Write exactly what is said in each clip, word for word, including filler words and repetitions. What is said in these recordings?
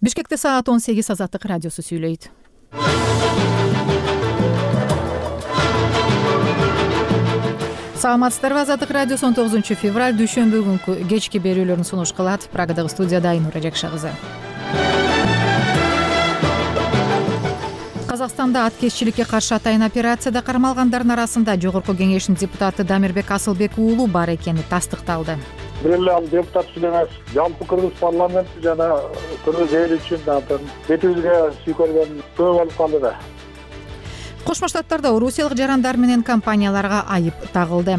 Бишкекте саат он сегиз. Азаттык радиосу сүйлөйт. Саламатсыздарбы? Азаттык радиосу он тогузунчу февраль дүйшөмбү күнкү кечки берүүлөрүн сунуш кылат. Прагадагы студияда Айнура Жакшы кызы. Казакстанда аткезчиликке каршы атайын операцияда кармалгандардын арасында Жогорку кеңештин депутаты Дамирбек Асылбек уулу бар экени тастыкталды. Бир эле ал депутат үчүн эмес, жалпы кыргыз парламенти жана кыргыз эли үчүн бетибизге сүйкөлгөн көп болуп калды да. Кошмо Штаттарда орусиялык жарандар менен компанияларга айып тагылды.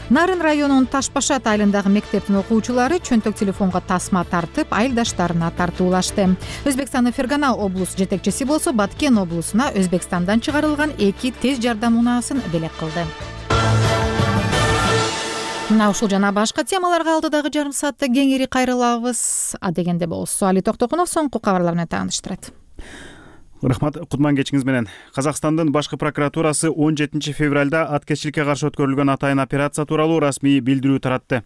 Нарын районунун Ташбашат айылындагы мектептин окуучулары чөнтөк телефонго тасма тартып, айылдаштарына тартуулашты. Өзбекстандын Фергана облус жетекчиси болсо Баткен облусуна Өзбекстандан чыгарылган эки тез жардам унаасын белек кылды. Мына ушул жана башка темаларга алдыдагы жарым саатта кеңири кайрылабыз. А дегенде болсо Али Токтокунов соңку кабарлар менен тааныштырат. Рахмат, кутман кечиңиз менен. Казакстандын башкы прокуратурасы он жетинчи февралда аткезчиликке каршы өткөрүлгөн атайын операция тууралуу расмий билдирүү таратты.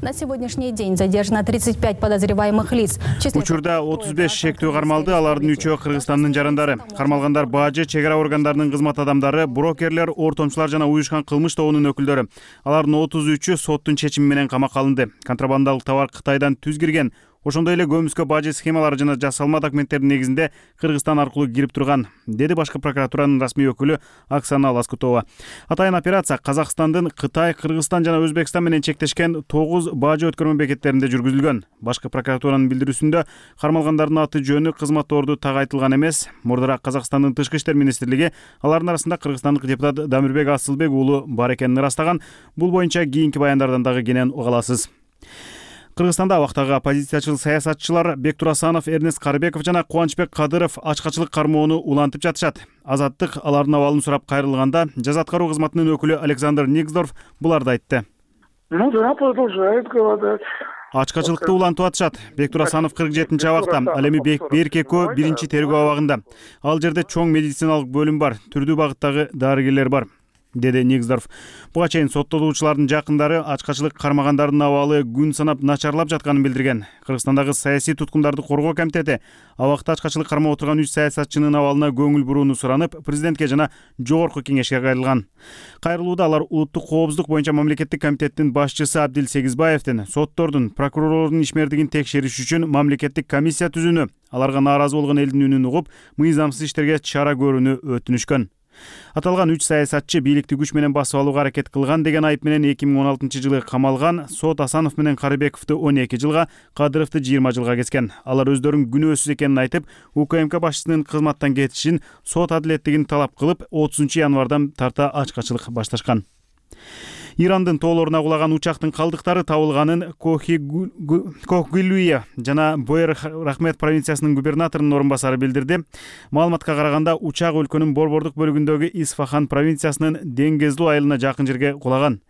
На сегодняшний день задержано тридцать пять подозреваемых лиц. Учурда отуз беш шектүү кармалды, алардын үчөө Кыргызстандын жарандары. Кармалгандар бажы, чек ара органдарынын кызмат адамдары, брокерлер, ортомчулар жана уюшкан кылмыш тобунун өкүлдөрү. Алардын отуз үчү соттун чечими менен камакка алынды. Контрабандалык товар Кытайдан түз кирген. Ошондой эле көмүскө бажы схемалары жана жасалма документтердин негизинде Кыргызстан аркылуу кирип турган, деди башкы прокуратуранын расмий өкүлү Оксана Лоскутова. Атайын операция Казакстандын Кытай, Кыргызстан жана Өзбекстан менен чектешкен тогуз бажы өткөрмө бекеттеринде жүргүзүлгөн. Башкы прокуратуранын билдирүүсүндө кармалгандардын аты жөнү, кызматторду так айтылган эмес. Мурдараак Казакстандын Тышкы иштер министрлиги алардын арасында кыргызстандык депутат Дамирбек Асылбек уулу бар экенин ырастаган. Бул боюнча кийинки баяндардан дагы кенен уга аласыз. Кыргызстанда абактагы оппозициячыл саясатчылар Бектур Асанов, Эрнест Карыбеков жана Кубанычбек Кадыров ачкачылык кармоону улантып жатышат. Азаттык алардын абалын сурап кайрылганда жаза аткаруу кызматынын өкүлү Александр Никсдорф буларды айтты. Ну да, продолжает говорить. Ачкачылыкты улантып атышат. Бектур Асанов кырк жетинчи абакта, ал эми Берки экөө биринчи тергөө абагында. Ал жерде чоң медициналык бөлүм бар, түрдүү багыттагы дарыгерлер бар, деди Никсдорф. Буга чейин соттолуучулардын жакындары ачкачылык кармагандардын абалы күн санап начарлап жатканын билдирген. Кыргызстандагы саясий туткундарды коргоо комитети абакта ачкачылык кармап отурган үч саясатчынын абалына көңүл бурууну суранып, президентке жана жогорку кеңешке кайрылган. Кайрылууда алар улуттук коопсуздук боюнча мамлекеттик комитеттин башчысы Абдил Сегизбаевдин соттордун, прокурорлордун ишмердигин текшериш үчүн мамлекеттик комиссия түзүүнү, аларга нааразы болгон элдин үнүн угуп, мыйзамсыз иштерге чара көрүүнү өтүнүшкөн. Аталган үч саясатчы бийликти күч менен басып алууга аракет кылган деген айып менен эки миң он алтынчы жылы камалган. Сот Асанов менен Карыбековду он эки жылга, Кадыровду жыйырма жылга кескен. Алар өздөрүнүн күнөөсүз экенин айтып, УКМК башчысынын кызматтан кетишин, сот адилеттигин талап кылып, отузунчу январдан тарта ачкачылык башташкан. Ирандын тоолоруна кулаган учактын калдыктары табылганын Кохгилуя жана Боер Рахмет провинциясынын губернаторунун орун басары билдирди. Маалыматка караганда, учак өлкөнүн борбордук бөлүгүндөгү Исфахан провинциясынын Деңгезлүү айылына жакын жерге кулаган.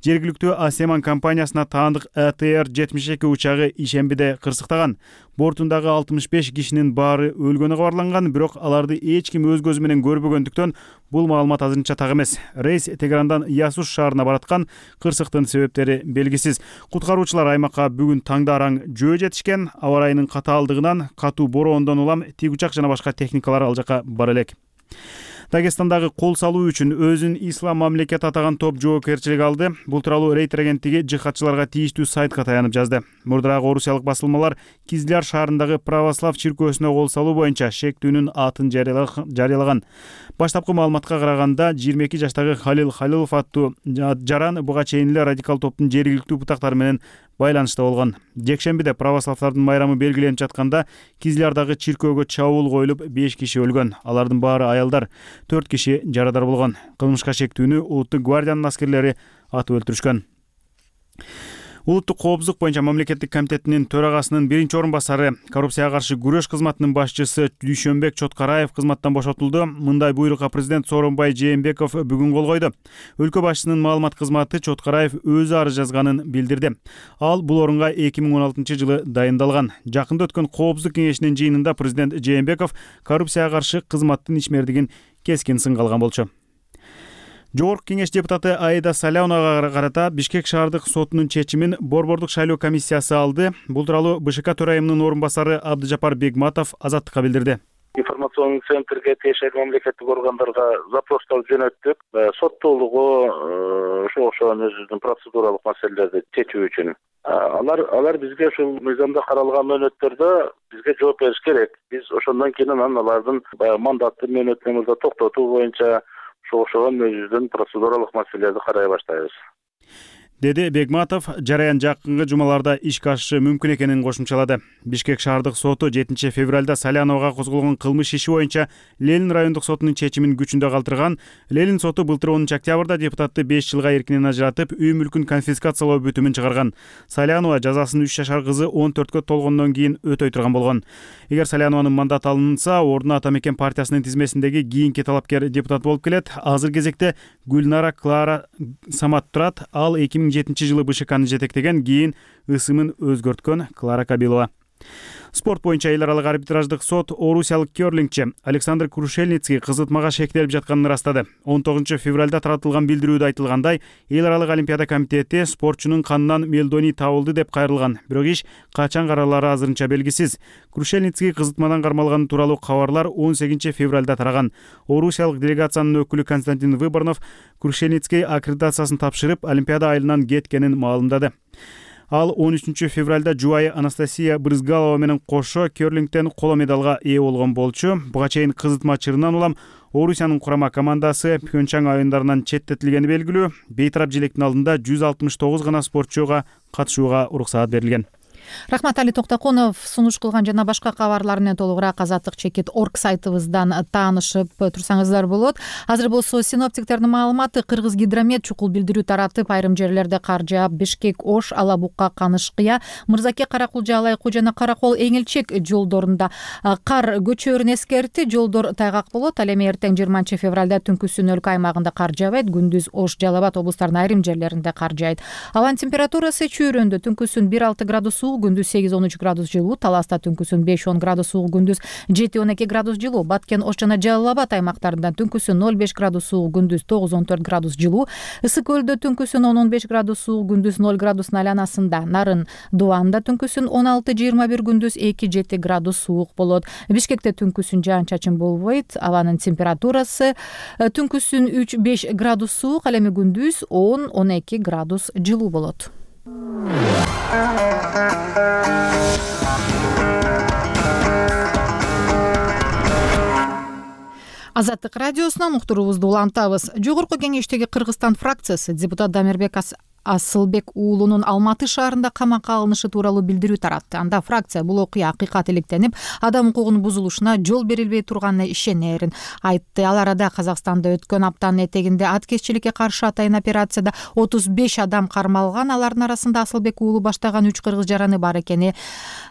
Жергиликтүү Асеман компаниясына таандык А Т Р жетимиш эки учагы ишембиде кырсыктаган. Бортундагы алтымыш беш кишинин баары өлгөнү кабарланган, бирок аларды эч ким өз көзү менен көрбөгөндүктөн бул маалымат азырынча так эмес. Рейс Тегерандан Ясуш шаарына бараткан, кырсыктын себептери белгисиз. Куткаруучулар аймакка бүгүн таңда араң жөө жетишкен. Аба ырайынын катаалдыгынан, катуу бороондон улам тик учак жана башка техникалар ал жака бара элек. Дагестандагы кол салуу үчүн өзүн ислам мамлекет атаган топ жоопкерчилик алды. Бул тууралуу Рейтер агенттиги жихадчыларга тийиштүү сайтка таянып жазды. Мурдараак орусиялык басылмалар Кизляр шаарындагы православ чиркөөсүнө кол салуу боюнча шектүүнүн атын жарыялаган. Баштапкы маалыматка караганда, жыйырма эки жаштагы Халил Халилов аттуу жаран буга чейин эле радикал топтун жергиликтүү бутактары менен байланышта болгон. Жекшембиде православдардын майрамы белгиленип жатканда, Кизлярдагы чиркөөгө чабуул коюлуп, беш киши өлгөн. Алардын баары аялдар, төрт киши жарадар болгон. Кылмышка шектүүнү Улуттук гвардиянын аскерлери атып өлтүрүшкөн. Улуттук коопсуздук боюнча мамлекеттик комитетинин төрагасынын биринчи орун басары, коррупцияга каршы күрөш кызматынын башчысы Дүйшөнбек Чоткараев кызматтан бошотулду. Мындай буйрукка президент Сооронбай Жээнбеков бүгүн кол койду. Өлкө башчысынын маалымат кызматы Чоткараев өзү арыз жазганын билдирди. Ал бул орунга эки миң он алтынчы жылы дайындалган. Жакында өткөн коопсуздук кеңешинин жыйынында президент Жээнбеков коррупцияга каршы кызматтын ишмердигин кескин сынга алган болчу. Жогорку кеңеш депутаты Аида Саляновага карата Бишкек шаардык сотунун чечимин Борбордук шайлоо комиссиясы алды. Бул тууралуу БШК төрайымынын орун басары Абдыжапар Бегматов Азаттыкка билдирди. Информационный центрге тиешелүү мамлекеттик органдарга запростор жөнөттүк. Соттуулугу ошого окшогон өзүнүн процедуралык маселелерди чечүү үчүн. Алар алар бизге ушул мыйзамда каралган мөөнөттөрдө бизге жооп бериш керек. Биз ошондон кийин анан алардын баягы мандатты мөөнөтүн мурда токтотуу боюнча ошого окшогон өзүнүн процедуралык маселелерди карай баштайбыз, деди Бегматов. Жараян жакынкы жумаларда ишке ашышы мүмкүн экенин кошумчалады. Бишкек шаардык соту жетинчи февралда Саляновага козголгон кылмыш иши боюнча Ленин райондук сотунун чечимин күчүндө калтырган. Ленин соту былтыр онунчу октябрда депутатты беш жылга эркинен ажыратып, үй мүлкүн конфискациялоо бүтүмүн чыгарган. Салянова жазасын үч жашар кызы он төрткө толгондон кийин өтөй турган болгон. Эгер Салянованын мандаты алынса, ордуна Ата Мекен партиясынын тизмесиндеги кийинки талапкер депутат болуп келет. Азыр кезекте Гүлнара Клара Самат турат. Ал эки миң жетинчи жылы БШКны жетектеген, кийин ысымын өзгөрткөн Клара Кабилова. Спорт боюнча эл аралык арбитраждык сот орусиялык керлингчи Александр Крушельницкий кызытмага шектелип жатканын ырастады. он тогузунчу февралда таратылган билдирүүдө айтылгандай, эл аралык олимпиада комитети спортчунун канынан мелдоний табылды деп кайрылган. Бирок иш качан каралары азырынча белгисиз. Крушельницкий кызытмадан кармалганы тууралуу кабарлар он сегизинчи февралда тараган. Орусиялык делегациянын өкүлү Константин Выборнов Крушельницкий аккредитациясын тапшырып, олимпиада айылынан кеткенин маалымдады. Ал он үчүнчү февралда жубайы Анастасия Брызгалова менен кошо керлингтен коло медалга ээ болгон болчу. Буга чейин кызытма чырынан улам Орусиянын курама командасы Пхенчан оюндарынан четтетилгени белгилүү. Бейтарап желектин алдында жүз алтымыш тогуз гана спортчуга катышууга уруксаат берилген. Рахмат, Али Токтокунов сунуш кылган жана башка кабарлар менен толугураак Азаттык чекит орг сайтыбыздан таанышып турсаңыздар болот. Азыр болсо синоптиктердин маалыматы: Кыргыз гидромет чукул билдирүү таратып, айрым жерлерде кар жаап, Бишкек, Ош, Алабукка, Канышкыя, Мырзаке, Каракулжа, Алайкуу жана Каракол Эңилчек жолдорунда кар көчөөрүн эскертти. Жолдор тайгак болот. Ал эми эртең жыйырманчы февралда түнкүсүн өлкө аймагында кар жаабайт. Күндүз Ош, Жалал Абад облустарынын айрым жерлеринде кар жаайт. Абанын температурасы чүйрөндө. Түнкүсүн бир алты градус суык, күндүз сегиз он үч градус жылуу, Таласта түнкүсүн беш он градус суык, күндүз жети он эки градус жылуу, Баткен, Ош жана Жалал Абад аймактарында түнкүсүн ноль беш градус суык, күндүз тогуз он төрт градус жылуу, Ысык көлдө түнкүсүн он он беш градус суык, күндүз ноль градустун айланасында, Нарын Дубанда түнкүсүн он алты жыйырма бир, күндүз эки жети градус суык болот. Бишкекте түнкүсүн жаан чачын болбойт. Абанын температурасы түнкүсүн үч беш градус суык, ал эми күндүз он он эки градус жылуу болот. Азаттык радиосунан уктуруубузду улантабыз. Жогорку кеңештеги Кыргызстан фракциясы депутат Дамирбек Асылбек уулунун Алматы шаарында камакка алынышы тууралуу билдирүү таратты. Анда фракция бул окуя акыйкат иликтенип, адам укугунун бузулушуна жол берилбей турганына ишенерин айтты. Ал арада Казакстанда өткөн аптанын этегинде аткезчиликке каршы атайын операцияда отуз беш адам кармалган. Алардын арасында Асылбек уулу баштаган үч кыргыз жараны бар экени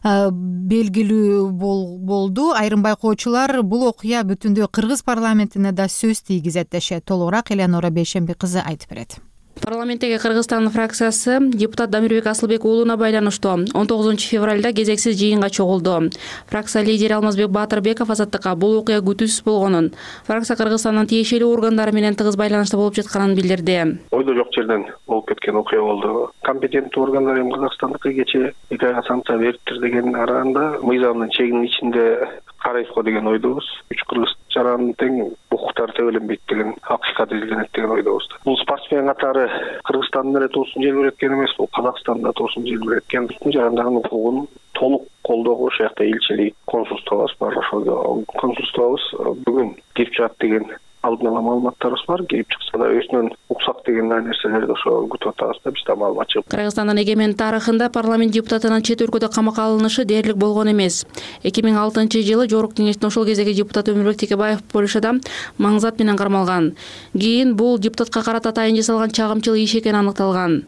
белгилүү болду. Айрым байкоочулар бул окуя бүтүндөй Кыргыз парламентине да сөз тийгизет дешет. Толугураак Элеонора Бейшемби кызы айтып берет. Парламенттеги Кыргызстан фракциясы депутат Дамирбек Асылбек уулуна байланыштуу он тогузунчу февралда кезексиз жыйынга чогулду. Фракция лидери Алмазбек Баатырбеков Азаттыкка бул окуя күтүүсүз болгонун, фракция Кыргызстандын тиешелүү органдары менен тыгыз байланышта болуп жатканын билдирди. Ойдо жок жерден болуп кеткен окуя болду. Компетенттүү органдар эми Казакстандыкы кечээ эки айга санкция бериптир деген араанда мыйзамдын чегинин ичинде карайсызго деген ойдобуз. Үч кыргыз жаранын тең укуктары тебеленбейт деген акыйкат изилденет деген ойдобуз. Бул спортсмен катары Кыргызстандын эле туусун желбиреткен эмес, бул Казакстанда туусун желбиреткен. Бүткүл жарандардын укугун толук колдоого ошол жакта элчилик, консулствобуз бар. Ошол консулствобуз бүгүн кирип чыгат деген алдын ала маалыматтарыбыз бар. Кирип чыкса да өзүнөн уксак деген нерселерди ошо күтүп атабыз да, бизде маалымат жок. Кыргызстандын эгемен тарыхында парламент депутатынын чет өлкөдө камакка алынышы дээрлик болгон эмес. эки миң алтынчы жылы Жогорку кеңештин ошол кездеги депутаты Өмүрбек Текебаев Польшада маңзат менен кармалган. Кийин бул депутатка карата атайын жасалган чагымчыл иш экени аныкталган.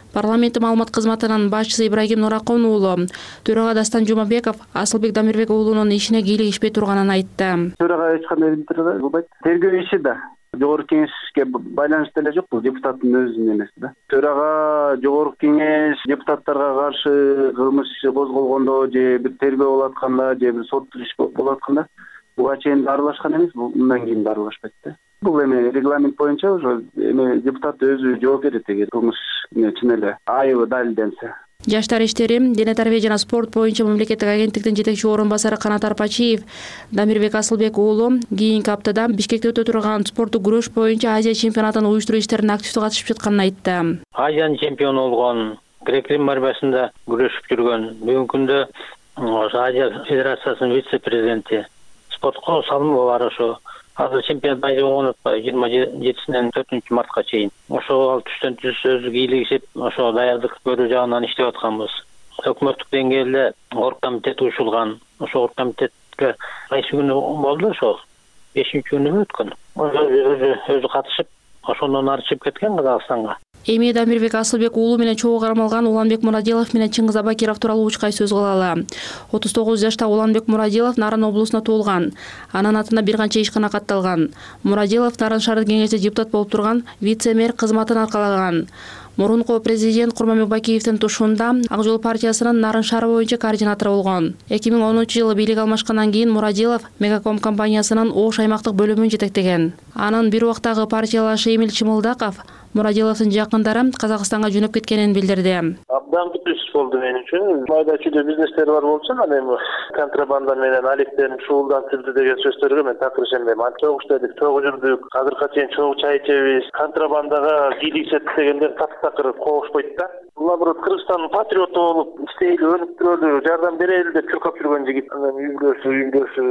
Парламенттик маалымат кызматынын башчысы Ибрагим Нуракон уулу төрага Дастан Жумабеков Асылбек Дамирбек уулунун ишине кийлигишпей турганын айтты. Төрага эч кандай билдирүү болбойт. Тергөө иши да Жогорку кеңешке байланыштуу эле жок, бул депутаттын өзүнүн эмеси да. Төрага Жогорку кеңеш депутаттарга каршы кылмыш иши козголгондо же бир тергөө болуп атканда же бир соттук иш болуп атканда буга чейин аралашкан эмес, мындан кийин да аралашпайт да. Бул эми регламент боюнча уже эми депутат өзү жооп берет эгер кылмыш чын эле айыбы далилденсе. Жаштар иштери, дене тарбия жана спорт боюнча мамлекеттик агенттиктин жетекчи орун басары Канат Арпачиев Дамирбек Асылбек уулу кийинки аптада Бишкекте өтө турган спорттук күрөш боюнча Азия чемпионатын уюштуруу иштерине активдүү катышып жатканын айтты. Азиянын чемпиону болгон, грек-рим борьбасында күрөшүп жүргөн, бүгүнкү күндө Азия федерациясынын вице-президенти, спортко салымы бар ошо. Азыр чемпионат байы болгон атпайбы жыйырма жетисинен төртүнчү мартка чейин. Ошо ал түштөн түз өзү кийлигишип, ошо даярдык көрүү жагынан иштеп атканбыз. Өкмөттүк деңгээлде оргкомитет уюшулган. Ошо оргкомитетке кайсы күнү болду ошо? бешинчи күнү өткөн. Өзү өзү катышып, ошондон ары чыгып кеткен Казакстанга. Эми Дамирбек Асылбек уулу менен чогуу кармалган Уланбек Мурадилов менен Чыңгыз Абакиров тууралуу учкай сөз кылалы. отуз тогуз жашта Уланбек Мурадилов Нарын облусуна туулган. Анын атына бир канча ишкана катталган. Мурадилов Нарын шаардык кеңеште депутат болуп турган вице-мэр кызматын аркалаган. Мурунку президент Курманбек Бакиевдин тушуунда Ак жол партиясынын Нарын шаары боюнча координатору болгон. эки миң онунчу жылы бийлик алмашкандан кийин Мурадилов Мегаком компаниясынын Ош аймактык бөлүмүн жетектеген. Анын бир убактагы партиялашы Эмил Чымылдаков Мурадиловдун жакындары Казакстанга жөнөп кеткенин билдирди. Абдан күтүш болду мен үчүн. Майда чүйдө бизнестер бар болчу, анан эми контрабанда менен алектенип шуулдантылды деген сөздөргө мен такыр ишенбейм. Чогуу иштедик, чогуу жүрдүк, азыркыга чейин чогуу чай ичебиз. Контрабандага кийлигишет дегендер такыр коошпойт да. Наоборот, Кыргызстандын патриоту болуп, иштейли, өнүп турөлү, жардам берели деп чуркап жүргөн жигит. Анан үйгөсү, үйгөсү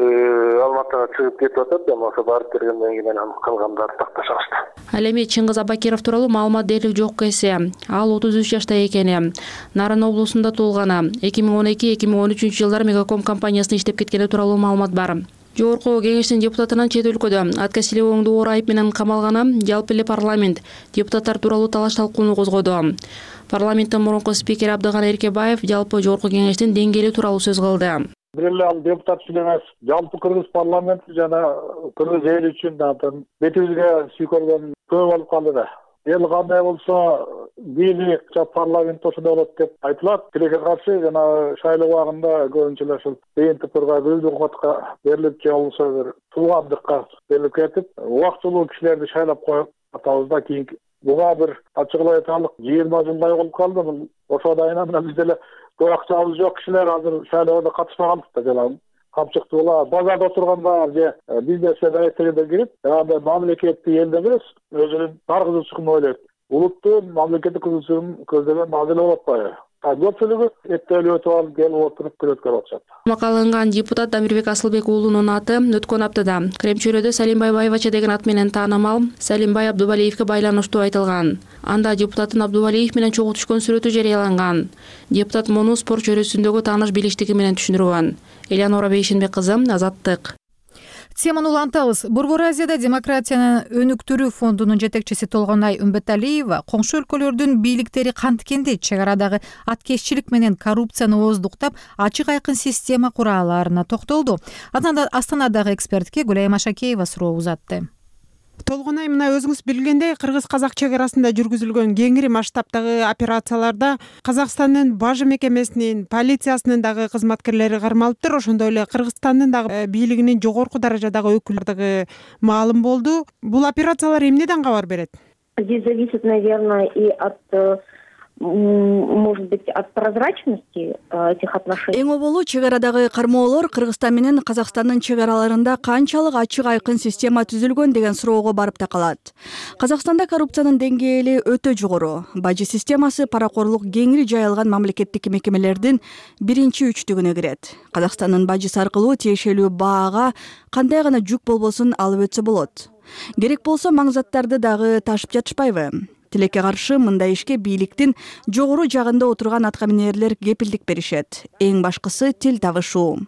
Алматыга чыгып кетип атат, эми ошо барып бергенден кийин анан калгандары такташабызды. Ал эми Чыңгыз Абакиров тууралуу маалымат дээрлик жок эсе. Ал отуз үч жашта экени. Нарын облусунда туулган. эки миң он эки — эки миң он үчүнчү жылдары Мегаком компаниясында иштеп кеткени тууралуу маалымат бар. Жогорку кеңештин депутатынын чет өлкөдө атка силебооңду оор айып менен камалганы жалпы эле парламент депутаттар тууралуу талаш талкууну козгоду. Парламенттин мурунку спикери Абдыганы Эркебаев жалпы жогорку кеңештин деңгээли тууралуу сөз кылды. Бир эле ал депутат үчүн эмес, жалпы Кыргыз парламенти жана Кыргыз эли үчүн да бетибизге сүйкөлгөн көп болуп калды да. Эл кандай болсо бийлик парламент ошондой болот деп айтылат. Тилекке каршы жана шайлоо убагында көбүнчө эле ушул БНТПга бөлүнүп катка берилип же болбосо бир туугандыкка берилип кетип, убактылуу кишилерди шайлап коюп атабыз да. Кийинки буга бир ачыгылай айталык жыйырма жылдай болуп калды. Ошого айынан эле биз деле көп акчабыз жок кишилер азыр шайлоого катышпаганбыз да. Жана камчыктуу була базарда отурганда же бизнеске даректегенде кирип, жанагындай мамлекеттик элде эмес, өзүнүн бар кызыкчылыгын ойлойт. Улуттун мамлекеттик кызыкчылыгын көздөгөн мазил болуп атпайбы? Көпчүлүгү эттелип өтүп алып, келип отуруп күрөткөрүп атышат. Макаланган депутат Дамирбек Асылбек уулунун аты өткөн аптада Кремчөлөдө Салимбай Байбача деген ат менен таанымал Салимбай Абдубалиевке байланыштуу айтылган. Анда депутаттын Абдубалиев менен чогуу түшкөн сүрөтү жарыяланган. Депутат муну спорт чөйрөсүндөгү тааныш билиштиги менен түшүндүргөн. Элеонора Бейшенбек кызы, Азаттык. Теманы улантабыз. Борбор Азияда демократияны өнүктүрүү фондунун жетекчиси Толгонай Үмбеталиева коңшу өлкөлөрдүн бийликтери кантикенде чек арадагы аткезчилик менен коррупцияны ооздуктап, ачык айкын система кура алаарына токтолду. Астанадагы экспертке Гүлайым Ашакеева суроо узатты. Толгонай, мына өзүңүз билгендей, кыргыз-казак чек арасында жүргүзүлгөн кеңири масштабтагы операцияларда Казакстандын бажы мекемесинин, полициясынын дагы кызматкерлери кармалыптыр. Ошондой эле Кыргызстандын дагы бийлигинин жогорку даражадагы өкүлдөрү маалым болду. Бул операциялар эмнеден кабар берет? Здесь зависит, наверное, и от, может быть, от прозрачности этих отношений. Эң оболу чек арадагы кармоолор Кыргызстан менен Казакстандын чек араларында канчалык ачык айкын система түзүлгөн деген суроого барып такалат. Казакстанда коррупциянын деңгээли өтө жогору. Бажы системасы паракорлук кеңири жайылган мамлекеттик мекемелердин биринчи үчтүгүнө кирет. Казакстандын бажысы аркылуу тиешелүү баага кандай гана жүк болбосун алып өтсө болот. Керек болсо маң заттарды дагы ташып жатышпайбы? Тилекке каршы мындай ишке бийликтин жогору жагында отурган аткаминерлер кепилдик беришет. Эң башкысы тил табышуу.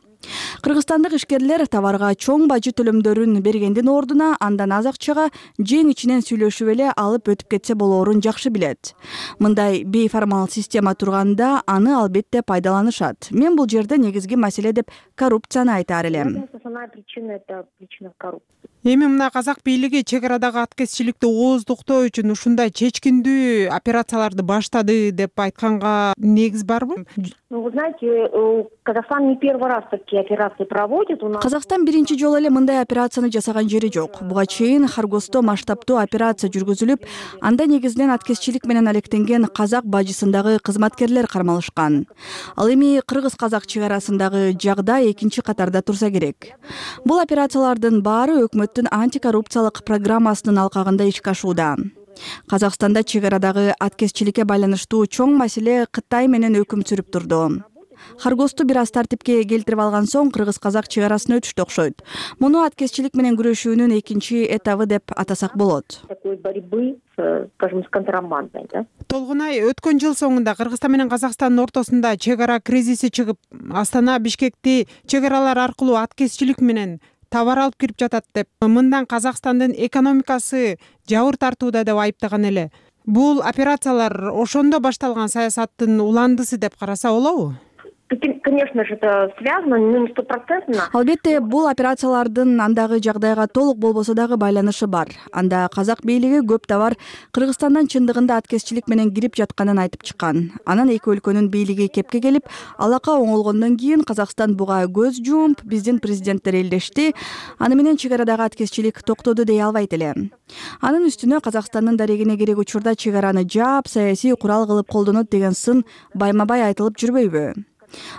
Кыргызстандык ишкерлер товарга чоң бажы төлөмдөрүн бергендин ордуна андан аз акчага жең ичинен сүйлөшүп эле алып өтүп кетсе болоорун жакшы билет. Мындай бейформал система турганда аны албетте пайдаланышат. Мен бул жерде негизги маселе деп коррупцияны айтаар элем. основная причина — это причина коррупции. Эми мына казак бийлиги чек арадагы аткезчиликти ооздуктоо үчүн ушундай чечкиндүү операцияларды баштады деп айтканга негиз барбы? Ну, вы знаете, Казахстан не первый раз такие операции проводит. Казакстан биринчи жолу эле мындай операцияны жасаган жери жок. Буга чейин Харгосто масштабтуу операция жүргүзүлүп, анда негизинен аткезчилик менен алектенген казак бажысындагы кызматкерлер кармалышкан. Ал эми кыргыз-казак чек арасындагы жагдай экинчи катарда турса керек. Бул операциялардын баары өкмөттүн антикоррупциялык программасынын алкагында ишке ашууда. Казакстанда чек арадагы аткезчиликке байланыштуу чоң маселе Кытай менен өкүм сүрүп турду. Харгосту бир аз тартипке келтирип алган соң кыргыз-казак чек арасын өтүштү окшойт. Муну аткезчилик менен күрөшүүнүн экинчи этабы деп атасак болот. Такой борьбы, скажем, с контрабандой, да? Толгунай, өткөн жыл соңунда Кыргызстан менен Казакстандын ортосунда чек ара кризиси чыгып, Астана Бишкекти чек аралар аркылуу аткезчилик менен товар алып кирип жатат деп, мындан Казакстандын экономикасы жабыр тартууда деп айыптаган эле. Бул операциялар ошондо башталган саясаттын уландысы деп караса болобу? Конечно же, это связано, но не стопроцентно. Албетте, бул операциялардын андагы жагдайга толук болбосо дагы байланышы бар. Анда казак бийлиги көп товар Кыргызстандан чындыгында аткезчилик менен кирип жатканын айтып чыккан. Анан эки өлкөнүн бийлиги кепке келип, алака оңолгондон кийин Казакстан буга көз жумуп, биздин президенттер элдешти. Аны менен чек арадагы аткезчилик токтоду дей албайт эле. Анын үстүнө Казакстандын дарегине керек учурда чек араны жаап, саясий курал кылып колдонот деген сын байма-бай айтылып жүрбөйбү?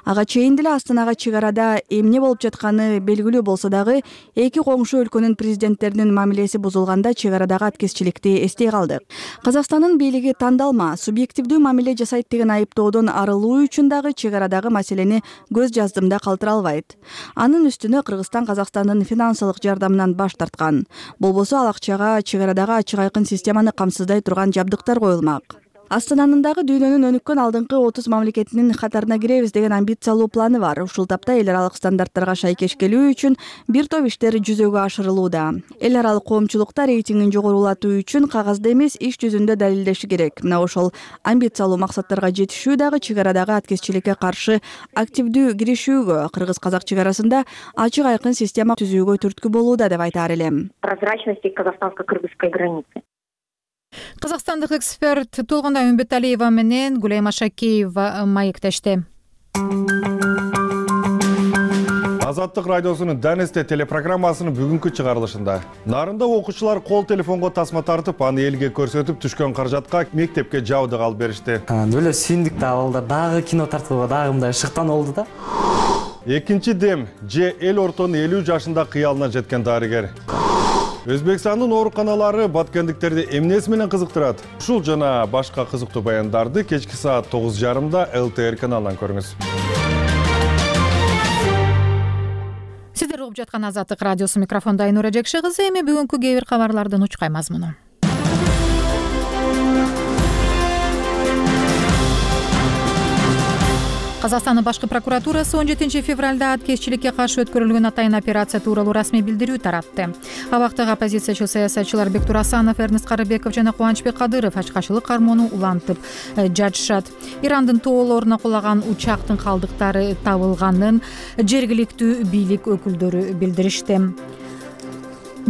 Ага чейин деле Астанага чек арада эмне болуп жатканы белгилүү болсо дагы, эки коңшу өлкөнүн президенттеринин мамилеси бузулганда чек арадагы аткезчиликти эстей калдык. Казакстандын бийлиги тандалма, субъективдүү мамиле жасайт деген айыптоодон арылуу үчүн дагы чек арадагы маселени көз жаздымда калтыра албайт. Анын үстүнө Кыргызстан Казакстандын финансылык жардамынан баш тарткан. Болбосо ал акчага чек арадагы ачык айкын системаны камсыздай турган жабдыктар коюлмак. Астананын дагы дүйнөнүн өнүккөн алдыңкы отуз мамлекетинин катарына киребиз деген амбициялуу планы бар. Ушул тапта эл аралык стандарттарга шайкеш келүү үчүн бир топ иштер жүзөгө ашырылууда. Эл аралык коомчулукта рейтингин жогорулатуу үчүн кагазда эмес, иш жүзүндө далилдеши керек. Мына ошол амбициялуу максаттарга жетишүү дагы чек арадагы аткезчиликке каршы активдүү киришүүгө, кыргыз-казак чек арасында ачык айкын система түзүүгө түрткү болууда деп айтаар элем. Прозрачности казахстанско-кыргызской границы. Казакстандык эксперт Толгунай Үмбеталиева менен Гулайма Шакеева маектешти. Азаттык радиосунун Данесте телепрограммасынын бүгүнкү чыгарылышында Нарында окуучулар кол телефонго тасма тартып, аны элге көрсөтүп түшкөн каражатка мектепке жабдык алып беришти. Бөлө сүйүндүк да балдар дагы кино тарткыла дагы мындай шыктан болду да. Экинчи дем же эл ортонун элүү жашында кыялына жеткен дарыгер. Өзбекстандын ооруканалары баткендиктерди эмнеси менен кызыктырат? Ушул жана башка кызыктуу баяндарды кечки саат тогуз жарымда эл тэ эр каналынан көрүңүз. Сиздер угуп жаткан Азаттык радиосу, микрофонда Айнура Жекши кызы. Эми бүгүнкү кээ бир кабарлардын учкай мазмуну. Казакстандын башкы прокуратурасы он жетинчи февралда аткезчиликке каршы өткөрүлгөн атайын операция тууралуу расмий билдирүү таратты. Абактагы оппозициячыл саясатчылар Бектур Асанов, Эрнест Карыбеков жана Кубанычбек Кадыров ачкачылык кармоону улантып жатышат. Ирандын тоолоруна кулаган учактын калдыктары табылганын жергиликтүү бийлик өкүлдөрү билдиришти.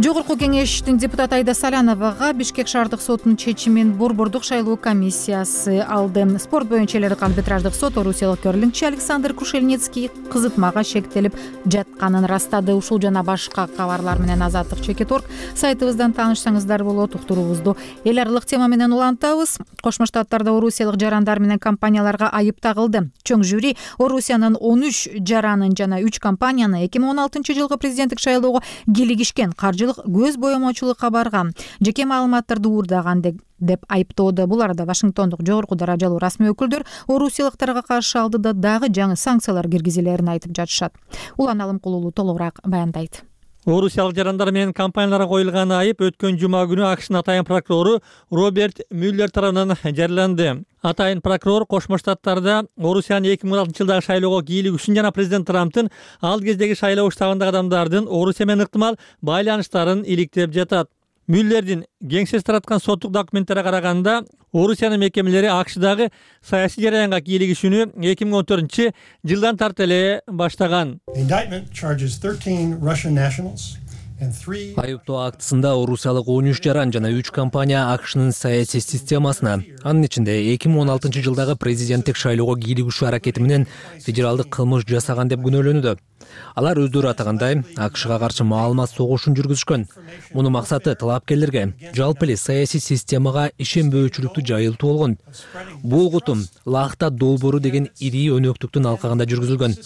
Жогорку кеңештин депутаты Айда Саляновага Бишкек шаардык сотунун чечимин Борбордук шайлоо комиссиясы алды. Спорт боюнча эл аралык арбитраждык сот орусиялык көрлүнгчү Александр Кушельницкий кызытмага шектелип жатканын растады. Ушул жана башка кабарлар менен Азаттык чекит орг сайтыбыздан таанышсаңыздар болот. Уктуруубузду эл аралык тема менен улантабыз. Кошмо Штаттарда орусиялык жарандар менен компанияларга айып тагылды. Чоң жюри Орусиянын он үч жаранын жана үч компанияны эки миң он алтынчы жылкы президенттик шайлоого кийлигишкен каржылык көз боемочулукка барган, жеке маалыматтарды уурдаган деп айыптоодо. Бул арада Вашингтондук жогорку даражалуу расмий өкүлдөр орусиялыктарга каршы алдыда дагы жаңы санкциялар киргизилерин айтып жатышат. Улан Алымкулуулу толугураак баяндайт. Орусиялык жарандар менен компанияларга коюлган айып өткөн жума күнү АКШнын атайын прокурору Роберт Мюллер тарабынан жарыяланды. Атайын прокурор Кошмо Штаттарда Орусиянын эки миң он алтынчы жылдагы шайлоого кийлиги үчүн жана президент Трамптын ал кездеги шайлоо штабындагы адамдардын Орусия менен ыктымал байланыштарын иликтеп жатат. Мюллердин кеңсеси тараткан соттук документтерге караганда, Орусиянын мекемелери АКШдагы саясий жараянга кийлигишүүнү эки миң он төртүнчү жылдан тарты эле баштаган. Айыптоо актысында орусиялык он үч жаран жана үч компания АКШнын саясий системасына, анын ичинде эки миң он алтынчы жылдагы президенттик шайлоого кийлигишүү аракети менен федералдык кылмыш жасаган деп күнөөлөнүүдө. Алар өздөрү атагандай АКШга каршы маалымат согушун жүргүзүшкөн. Мунун максаты талапкерлерге жалпы эле саясий системага ишенбөөчүлүктү жайылтуу болгон. Бул кутум Лахта долбоору деген ири өнөктүктүн алкагында жүргүзүлгөн.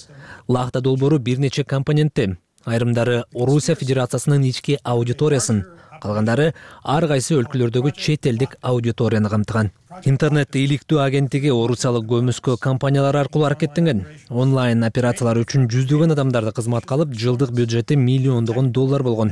Лахта долбоору бир нече компонентти. Айрымдары Орусия Федерациясынын ички аудиториясын, калгандары ар кайсы өлкөлөрдөгү чет элдик аудиторияны камтыган. Интернет иликтөө агенттиги орусиялык көмүскө компаниялар аркылуу аракеттенген. Онлайн операциялар үчүн жүздөгөн адамдарды кызматка алып, жылдык бюджети миллиондогон доллар болгон.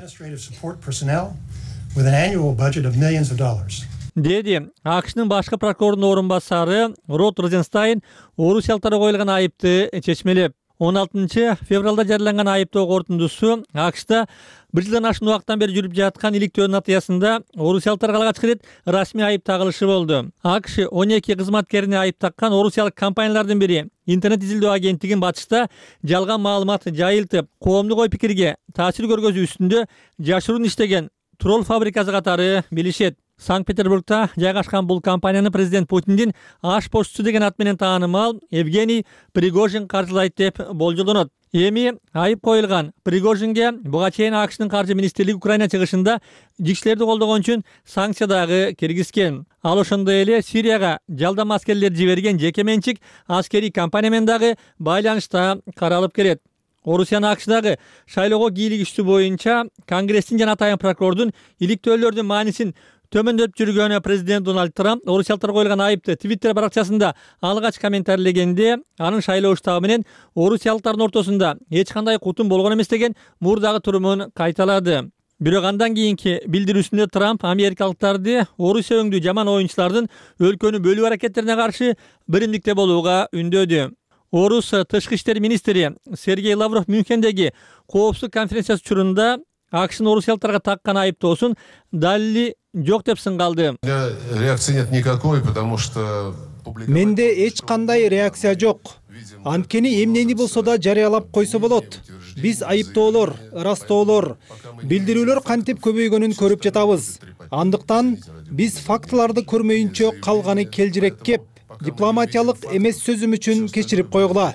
Деди АКШнын башкы прокурорунун орун басары Род Розенстайн орусиялыктарга коюлган айыпты чечмелеп, он алтынчы февралда жарыяланган айыптоо корутундусу АКШда бир жылдан ашуун убакыттан бери жүрүп жаткан иликтөөнүн натыйжасында орусиялыктарга алгач рет расмий айып тагылышы болду. АКШ он эки кызматкерине айып таккан орусиялык компаниялардын бири интернет изилдөө агенттигин батышта жалган маалымат жайылтып, коомдук ой пикирге таасир көргөзүү үстүндө жашыруун иштеген тролл фабрикасы катары билишет. Санкт-Петербургда жайгашкан бул компанияны президент Путиндин аш почтучу деген ат менен таанымал Евгений Пригожин каржылайт деп болжолдонот. Эми айып коюлган Пригожинге буга чейин АКШнын каржы министрлиги Украина чыгышында жикшилерди колдогон үчүн санкция дагы киргизген. Ал ошондой эле Сирияга жалдам аскерлер жиберген жеке менчик аскерий компания менен дагы байланышта каралып келет. Орусиянын АКШдагы шайлоого кийлигишүү боюнча Конгресстин жана атайын прокурордун иликтөөлөрдүн маанисин төмөндөп жүргөн президент Дональд Трамп орусиялыктарга коюлган айыпты Твиттер баракчасында алгач комментарийлегенде, анын шайлоо штабы менен орусиялыктардын ортосунда эч кандай кутум болгон эмес деген мурдагы турумун кайталады. Бирок андан кийинки билдирүүсүндө Трамп америкалыктарды Орусия өңдүү жаман оюнчулардын өлкөнү бөлүү аракеттерине каршы биримдикте болууга үндөдү. Орус тышкы иштер министри Сергей Лавров Мюнхендеги коопсуздук конференциясы учурунда АКШнын орусиялыктарга таккан айыптоосун далили жок деп сынгалды. Реакции нет никакой, потому что менде эч кандай реакция жок. Анткени эмнени болсо да жарыялап койсо болот. Биз айыптоолор, ырастоолор, билдирүүлөр кантип көбөйгөнүн көрүп жатабыз. Андыктан биз фактыларды көрмөйүнчө калганы келжирек кеп, дипломатиялык эмес сөзүм үчүн кечирип койгула.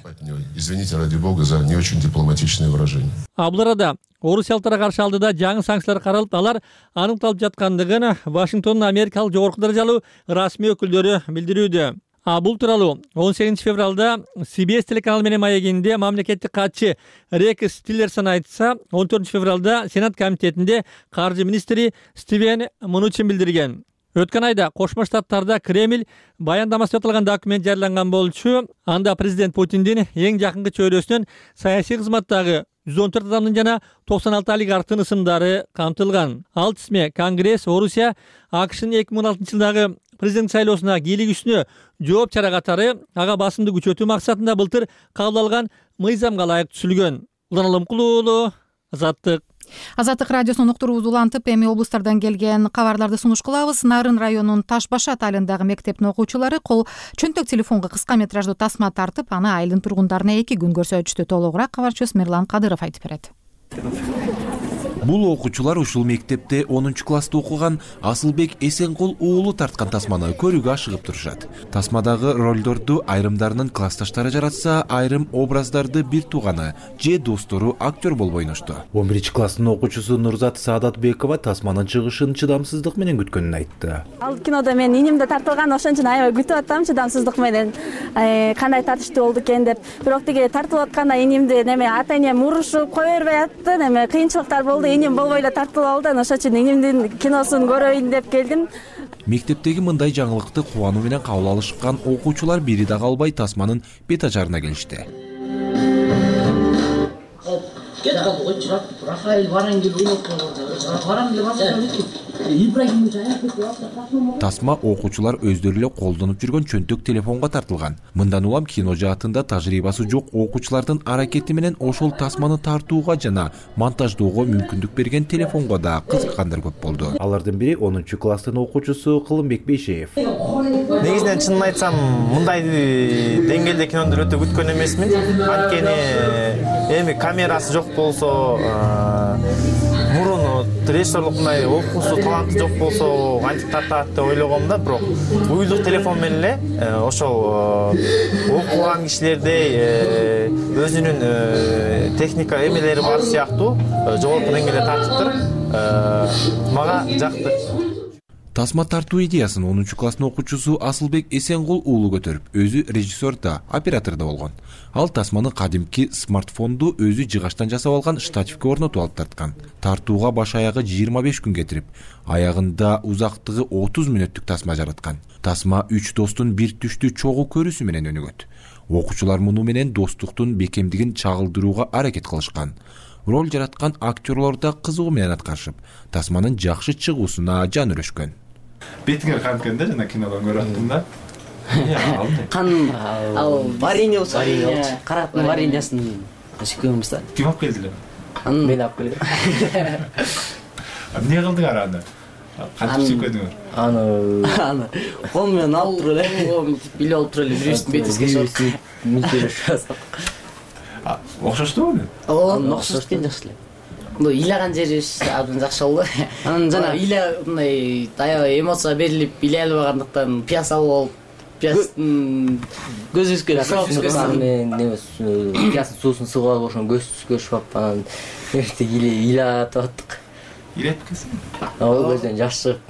Извините, ради бога, за не очень дипломатичное выражение. А бул арада орусиялыктарга каршы алдыда жаңы санкциялар каралып, алар аныкталып жаткандыгын Вашингтондун америкалык жогорку даражалуу расмий өкүлдөрү билдирүүдө. А бул тууралуу он сегизинчи февралда Си Би Эс телеканалы менен маегинде мамлекеттик катчы Рекс Тиллерсон айтса, он төртүнчү февралда Сенат комитетинде каржы министри Стивен Мнучин билдирген. Өткөн айда Кошмо Штаттарда Кремль баяндамасында аталган документ жарыяланган болчу. Анда президент Путиндин эң жакынкы чөйрөсүнөн саясий кызматтагы жүз он төрт адамдын жана токсон алты олигархтын ысымдары камтылган. Ал тизме Конгресс Орусия АКШнын эки миң он алтынчы жылдагы президент шайлоосуна кийлигишүүнө жооп чара катары ага басымды күчөтүү максатында былтыр кабыл алган мыйзамга ылайык түзүлгөн. Улан Алымкулуу уулу, Азаттык. Азаттык радиосунун уктуруубузду улантып, эми облустардан келген кабарларды сунуш кылабыз. Нарын районунун Таш баш атайындагы мектептин окуучулары кол чөнтөк телефонго кыска метраждуу тасма тартып, аны айылдын тургундарына эки күн көрсөтүштү. Толугураак кабарчыбыз Мирлан Кадыров айтып берет. Бул окуучулар ушул мектепте онунчу класста окуган Асылбек Эсенкул уулу тарткан тасманы көрүүгө ашыгып турушат. Тасмадагы ролдорду айрымдарынын классташтары жаратса, айрым образдарды бир тууганы же достору актер болуп ойношту. он биринчи класстын окуучусу Нурзат Саадатбекова тасманын чыгышын чыдамсыздык менен күткөнүн айтты. Ал кинодо мен инимде тартылган, ошон үчүн аябай күтүп аттым чыдамсыздык менен кандай тартыштуу болду экен деп. Бирок тиги тартылып атканда инимди неме ата энем урушуп кое бербей атты, неме кыйынчылыктар болду. Иним болбой эле тартылып алды, ошон үчүн инимдин киносун көрөйүн деп келдим. Мектептеги мындай жаңылыкты кубануу менен кабыл алышкан окуучулар бири да калбай тасманын бет ажарына келишти. Кет калды, ой чырак, Рафаэль Варангел ойноп койгон. Варангел басып кетти. Тасма окуучулар өздөрү эле колдонуп жүргөн чөнтөк телефонго тартылган. Мындан улам кино жаатында тажрыйбасы жок окуучулардын аракети менен ошол тасманы тартууга жана монтаждоого мүмкүндүк берген телефонго да кызыккандар көп болду. Алардын бири онунчу класстын окуучусу Кылымбек Бейшеев. Негизинен чынын айтсам, мындай деңгээлде кинону өтө күткөн эмесмин. Анткени эми камерасы жок болсо, мурун режиссерлук мындай окуусу таланты жок болсо кантип тартат деп ойлогом да, бирок уюлдук телефон менен эле ошол окуган кишилердей өзүнүн техника эмелери бар сыяктуу жогорку деңгээлде тартып туруп мага жакты. Тасма тартуу идеясын онунчу класстын окуучусу Асылбек Эсенгул уулу көтөрүп, өзү режиссер да, оператор да болгон. Ал тасманы кадимки смартфонду өзү жыгачтан жасап алган штативке орнотуп алып тарткан. Тартууга баш аягы жыйырма беш күн кетирип, аягында узактыгы отуз мүнөттүк тасма жараткан. Тасма үч достун бир түштү чогуу көрүүсү менен өнүгөт. Окуучулар муну менен достуктун бекемдигин чагылдырууга аракет кылышкан. Роль жараткан актерлор да кызыгуу менен аткарышып, тасманын жакшы чыгуусуна жан өрөшкөн. Бетиңер канткан да, жана кинодон көрүп аттым да. Кан ал варенье болсо, караттын вареньясын сүйкөнбүз да. Ким алып келди эле? Мен алып келдим. Эмне кылдыңар аны? Кантип сүйкөдүңөр? Аны аны кол менен алып туруп эле, биле алып туруп эле бирөөсүн бетине чыгып, мынтип окшоштубу? Ооба, окшош экен, жакшы эле. Мына ыйлаган жери абдан жакшы болду. Анан жана ыйла мындай аябай эмоция берилип, ыйлай албагандыктан пьяса болуп, пьястын көзүбүзгө шок менен немес пьястын суусун сыгып алып, ошон көз көрүшүп, анан эртең ыйлатып аттык. Ыйлатып келсең? Ооба, көздөн жаш чыгып.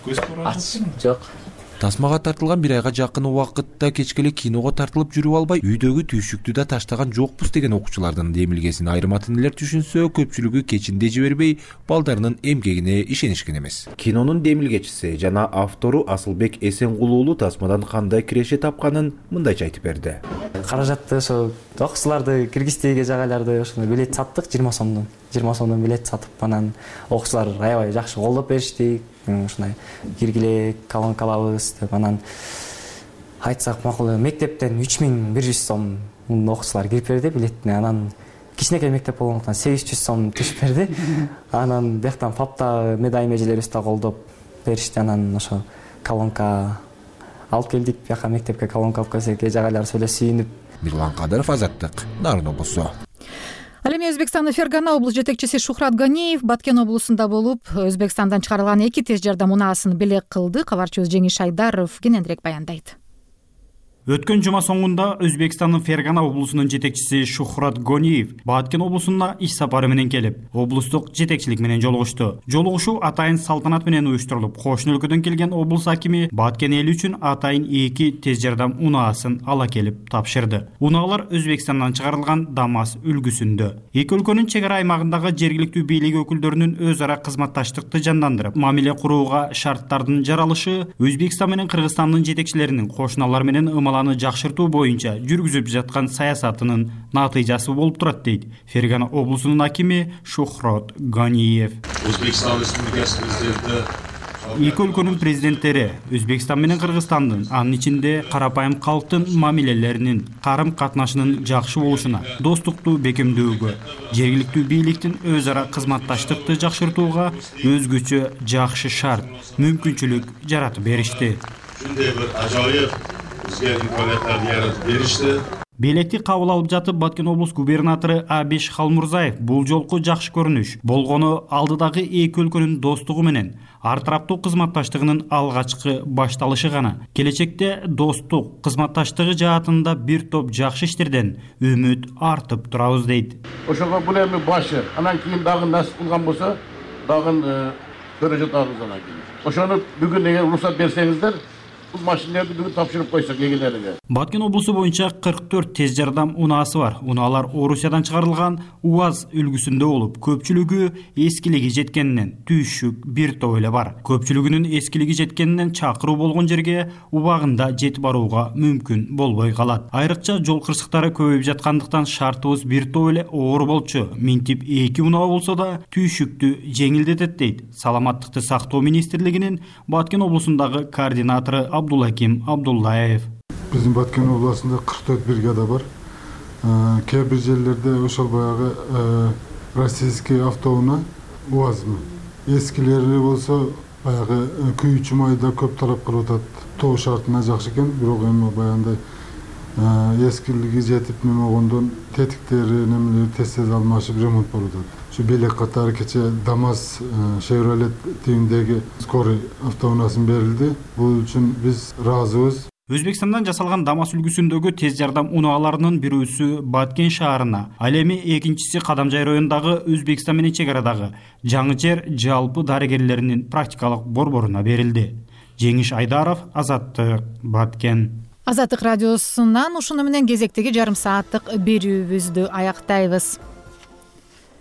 Көз көрүп жок. Тасмага тартылган бир айга жакын убакытта кечке эле киного тартылып жүрүп албай, үйдөгү түйшүктү да таштаган жокпуз деген окуучулардын демилгесин айрым ата-энелер түшүнсө, көпчүлүгү кечинде жибербей, балдарынын эмгегине ишенишкен эмес. Кинонун демилгечиси жана автору Асылбек Эсенгул уулу тасмадан кандай киреше тапканын мындайча айтып берди. Каражатты ошо окуучуларды киргиздеги жагайларды ошону билет саттык, жыйырма сомдон. жыйырма сомдон билет сатып, анан окуучулар аябай жакшы колдоп беришти. Ушундай киргиле колонка алабыз деп, анан айтсак макул, мектептен үч миң бир жүз сом окуучулар кирип берди билетине. Анан кичинекей мектеп болгондуктан сегиз жүз сом түшүп берди. Анан бияктан папта медай межелерибиз да колдоп беришти. Анан ошо колонка алып келдик, бияка мектепке колонка алып келсек, жагайлар эле сүйүнүп. Мирлан Кадыров, Азаттык, Нарын облусу. Ал эми Өзбекстандын Фергана облус жетекчиси Шухрат Ганиев Баткен облусунда болуп, Өзбекстандан чыгарылган эки тез жардам унаасын белек кылды. Кабарчыбыз Жеңиш Айдаров кененирээк баяндайт. Өткөн жума соңунда Өзбекстандын Фергана облусунун жетекчиси Шухрат Ганиев Баткен облусуна иш сапары менен келип, облустук жетекчилик менен жолугушту. Жолугушуу атайын салтанат менен уюштурулуп, кошуна өлкөдөн келген облус акими Баткен эли үчүн атайын эки тез жардам унаасын ала келип тапшырды. Унаалар Өзбекстандан чыгарылган ДАМАЗ үлгүсүндө. Эки өлкөнүн чек ара аймагындагы жергиликтүү бийлик өкүлдөрүнүн өз ара кызматташтыкты жандандырып, мамиле курууга шарттардын жаралышы Өзбекстан менен Кыргызстандын жетекчилеринин кошуналар менен аны жакшыртуу боюнча жүргүзүп жаткан саясатынын натыйжасы болуп турат, дейт Фергана облусунун акими Шухрат Ганиев. Өзбекстан Республикасы президенти Эки өлкөнүн президенттери Өзбекстан менен Кыргызстандын, анын ичинде карапайым калктын мамилелеринин, карым-катнашынын жакшы болушуна, достукту бекемдөөгө, жергиликтүү бийликтин өз ара кызматташтыкты жакшыртууга өзгөчө жакшы шарт, мүмкүнчүлүк жаратып беришти. Ушундай бир ажайып бизге имканияттарды яратып беришти. Белекти кабыл алып жатып Баткен облус губернатору Абиш Халмурзаев бул жолку жакшы көрүнүш болгону алдыдагы эки өлкөнүн достугу менен ар тараптуу кызматташтыгынын алгачкы башталышы гана. Келечекте достук кызматташтыгы жаатында бир топ жакшы иштерден үмүт артып турабыз, дейт. Ошого бул эми башы, анан кийин дагы насип кылган болсо, дагы көрөжөт агыздан кийин. Ошону бүгүн эгер уруксат берсеңиздер, Бул машинелерди бүгүн тапшырып койсок эгелерге. Баткен облусу боюнча кырк төрт тез жардам унаасы бар. Унаалар Орусиядан чыгарылган УАЗ үлгүсүндө болуп, көпчүлүгү эскилиги жеткенинен түйшүк бир топ эле бар. Көпчүлүгүнүн эскилиги жеткенинен чакыруу болгон жерге убагында жетип барууга мүмкүн болбой калат. Айрыкча жол кырсыктары көбөйүп жаткандыктан шартыбыз бир топ эле оор болчу. Минтип эки унаа болсо да түйшүктү жеңилдетет дейт Саламаттыкты сактоо министрлигинин Баткен облусундагы координатору Абдулаким Абдуллаев. Биздин Баткен областында кырк төрт бригада бар. Кээ бир жерлерде ошол баягы российский автоунаа УАЗмы. Эскилери болсо баягы күйүүчү майда көп талап кылып атат. Тоо шартына жакшы экен, бирок эми баягындай эскилиги жетип неме болгондон тетиктери немелери тез тез алмашып ремонт болуп атат. Şu белек катары кече ДАМАЗ Chevrolet тигиндеги скорый автоунаасын берилди. Бул үчүн биз ыраазыбыз. Өзбекстандан жасалган ДАМАЗ үлгүсүндөгү тез жардам унааларынын бирөөсү Баткен шаарына, ал эми экинчиси Кадамжай районундагы Өзбекстан менен чек арадагы Жаңычер жалпы дарыгерлеринин практикалык борборуна берилди. Жеңиш Айдаров, Азаттык, Баткен. Азаттык радиосунан ушуну менен кезектеги жарым сааттык берүүбүздү аяктайбыз.